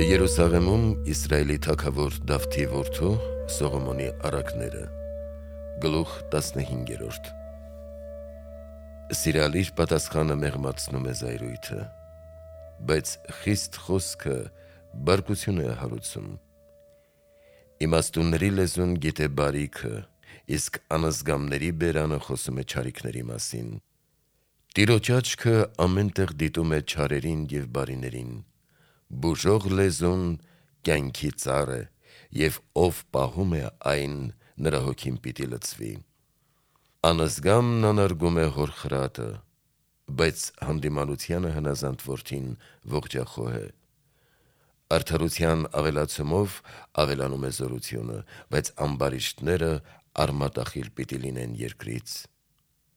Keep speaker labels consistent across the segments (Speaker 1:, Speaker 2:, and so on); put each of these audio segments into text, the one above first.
Speaker 1: Երուսաղեմում Իսրայելի թագավոր Դավթի որդու Սողոմոնի առակները Գլուխ 15 Սիրալիր պատասխանը մեղմացնում է զայրույթը, բայց խիստ խոսքը բարկություն է հարուցում։ Իմաստունների լեզուն գիտե բարիքը, իսկ անազգամների բերանը խոսում է չարիքների մասին։ Տիրոջ աչքը ամեն տեղ դիտում է չարերին և բարիներին։ Բուժող լեզուն կյանքի ծառ է, և ով պահում է այն, նրա հոգին պիտի լցվի։ Անազգամն անարգում է հոր խրատը, բայց հանդիմանությանը հնազանդ որդին ողջախոհ է։ Արդարության ավելացումով ավելանում է զորությունը, բայց ամբարիշտները արմատախիլ պիտի լինեն երկրից։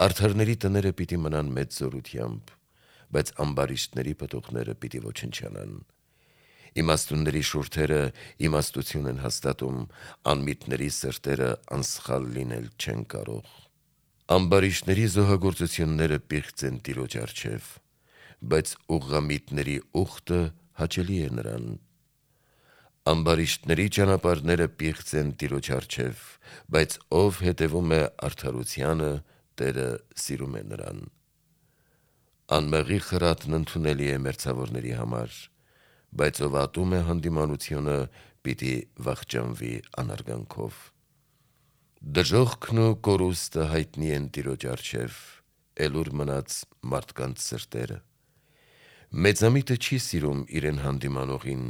Speaker 1: Արդարների տները պիտի մնան մեծ զորությամբ, բայց ամբարիշտների պտուղները պիտի ոչնչանան։ Իմաստունների շուրթերը իմաստություն են հաստատում, անմիտների սրտերը անսխալ լինել չեն կարող։ Ամբարիշտների զոհագործությունները պիղծ են Տիրոջ առջև, բայց ուղղամիտների ուխտը հաճելի է նրան։ Ամբարիշտների ճանապարհները պիղծ են Տիրոջ առջև, բայց ով հետևում է արդարությանը, Տերը սիրում է նրան։ Անմեղի խրատն ընդունելի է մերձավորների համար, բայց ով ատում է հանդիմանությունը, պիտի վախճանվի անարգանքով։ Դժոխքն ու կորուստը հայտնի են Տիրոջ առջև, էլուր մնաց մարդկանց սրտերը։ Մեծամիտը չի սիրում իրեն հանդիմանողին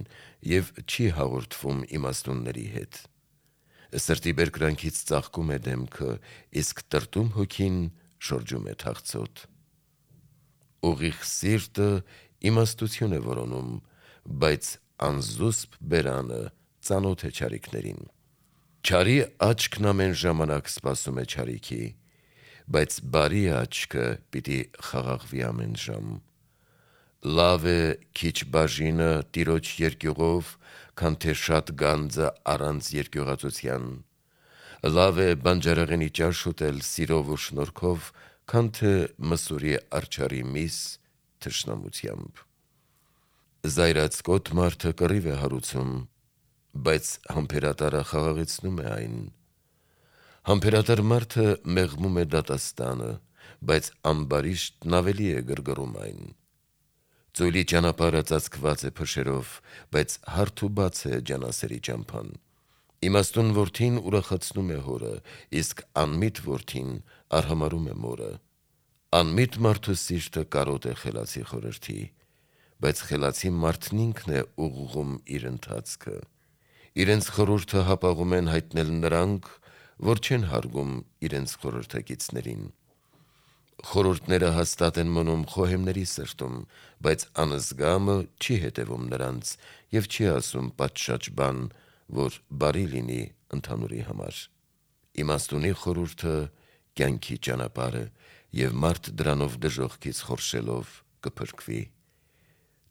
Speaker 1: և չի հաղորդվում իմաստունների հետ։ Սրտի բերկրանքից ծաղկում է դեմքը, իսկ տրտում հոգին շրջում է թախծոտ։ Ուղիղ սիրտը իմաստություն է որոնում, բայց անզուսպ բերանը ծանոթ է չարիքներին։ Չարի աչքն ամեն ժամանակ սպասում է չարիքի, բայց բարի աչքը պիտի խաղաղվի ամեն ժամ։ Լավ է քիչ բաժինը Տիրոջ երկյուղով, քան թե շատ գանձը առանց երկյուղածության։ Լավ է բանջարեղենի ճաշ ուտել սիրով ու շնորհքով, քան թե մսուրի արջառի միս թշնամությամբ։ Զայրացկոտ մարդը կռիվ է հարուցում, բայց համբերատարը խաղաղեցնում է այն։ Համբերատար մարդը մեղմում է դատաստանը, բայց ամբարիշտն ավելի է գրգռում այն։ Ծույլի ճանապարհը ծածկված է փշերով, բայց հարթ ու բաց է ջանասերի ճամփան։ Իմաստուն որդին ուրախացնում է հորը, իսկ անմիտ որդին արհամարհում է մորը։ Անմիտ մարդու սիրտը կարոտ է խելացի խորհրդի, բայց խելացի մարդն ինքն է ուղղում իր ընթացքը։ Իրենց խորհուրդը հապաղում են հայտնել նրանք, որ չեն հարգում իրենց խորհրդակիցներին։ Խորհուրդները հաստատ են մնում խոհեմների սրտում, բայց անզգամը չի հետևում նրանց և չի ասում պատշաճ բան, որ բարի լինի ընդհանուրի համար։ Իմաստունի խորհուրդը կյանքի ճանապարհ է, և մարդ դրանով դժոխքից խորշելով կփրկվի։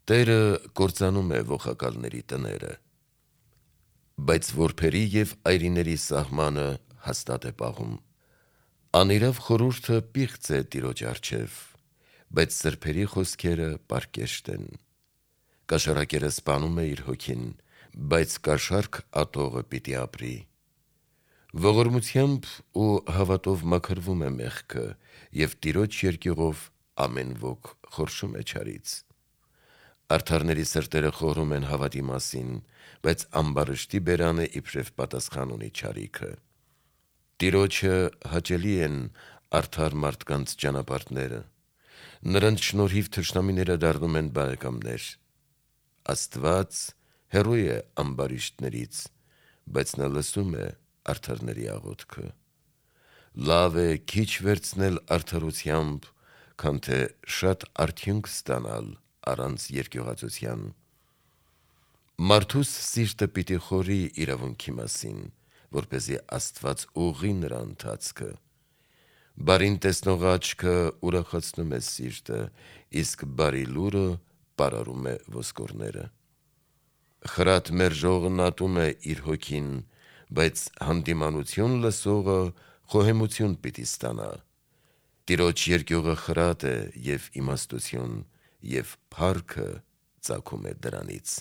Speaker 1: Տերը կործանում է ոխակալների տները, բայց որբերի և այրիների սահմանը հաստատ է պահում։ Անիրավ խորհուրդը պիղծ է Տիրոջ առջև, բայց սրբերի խոսքերը պարկեշտ են։ Կաշառակերը սպանում է իր հոգին, բայց կաշառք ատողը պիտի ապրի։ Ողորմությամբ ու հավատով մաքրվում է մեղքը, և Տիրոջ երկյուղով ամեն ոք խորշում է չարից։ Արդարների սրտերը խորհում են հավատի մասին, բայց ամբարիշտի բերանը իբրև պատասխան ունի չարիքը։ Տիրոջը հաճելի են արդար մարդկանց ճանապարհները, նրանց շնորհիվ թշնամիները դառնում են բարեկամներ։ Աստված հեռու է ամբարիշտներից, բայց նա լսում է արդարների աղոթքը։ Լավ է քիչ վերցնել արդարությամբ, քան թե շատ արդյունք ստանալ առանց երկյուղածության։ Մարդուս սիրտը պիտի խորի իրավունքի մասին, որպեսզի Աստված ուղղի նրա ընթացքը։ Բարին տեսնող աչքը ուրախացնում է սիրտը, իսկ բարի լուրը պարարում է ոսկորները։ Խրատ մերժողն ատում է իր հոգին, բայց հանդիմանություն լսողը խոհեմություն պիտի ստանա։ Տիրոջ երկյուղը խրատ է և իմաստություն, և փառքը ծագում է դրանից։